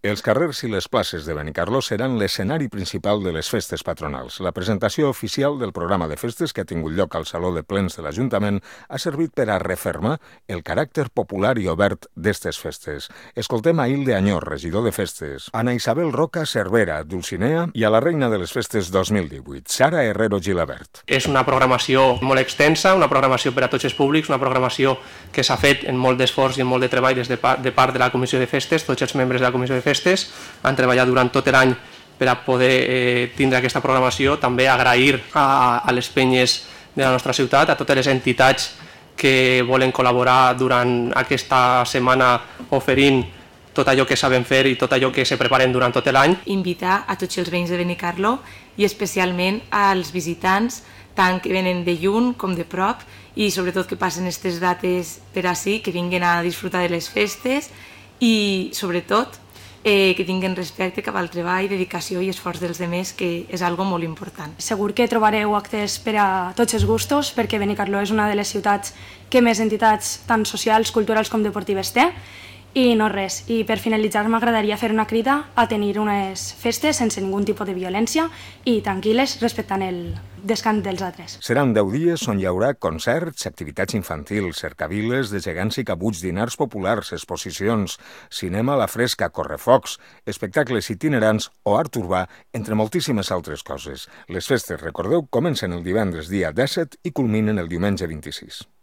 Els carrers i les places de Benicarló seran l'escenari principal de les festes patronals. La presentació oficial del programa de festes que ha tingut lloc al Saló de Plens de l'Ajuntament ha servit per a refermar el caràcter popular i obert d'estes festes. Escoltem a Hilde Añor, regidor de festes, Ana Isabel Roca Cervera, Dulcinea, i a la reina de les festes 2018, Sara Herrero Gilabert. És una programació molt extensa, una programació per a tots els públics, una programació que s'ha fet en molt d'esforç i en molt de treball de part de la Comissió de Festes. Tots els membres de la Comissió de Festes han treballat durant tot l'any per a poder tindre aquesta programació. També agrair a les penyes de la nostra ciutat, a totes les entitats que volen col·laborar durant aquesta setmana oferint tot allò que saben fer i tot allò que se preparen durant tot l'any. Invitar a tots els veïns de Benicarló i especialment als visitants, tant que venen de lluny com de prop, i sobretot que passen aquestes dates per ací, que vinguin a disfrutar de les festes i sobretot que tinguin respecte cap al treball, dedicació i esforç dels demés, que és algo molt important. Segur que trobareu actes per a tots els gustos, perquè Benicarló és una de les ciutats que més entitats tant socials, culturals com deportives té. I no res, i per finalitzar m'agradaria fer una crida a tenir unes festes sense ningun tipus de violència i tranquil·les, respectant el descans dels altres. Seran 10 dies on hi haurà concerts, activitats infantils, cercaviles de gegants i cabuts, dinars populars, exposicions, cinema a la fresca, correfocs, espectacles itinerants o art urbà, entre moltíssimes altres coses. Les festes, recordeu, comencen el divendres dia 17 i culminen el diumenge 26.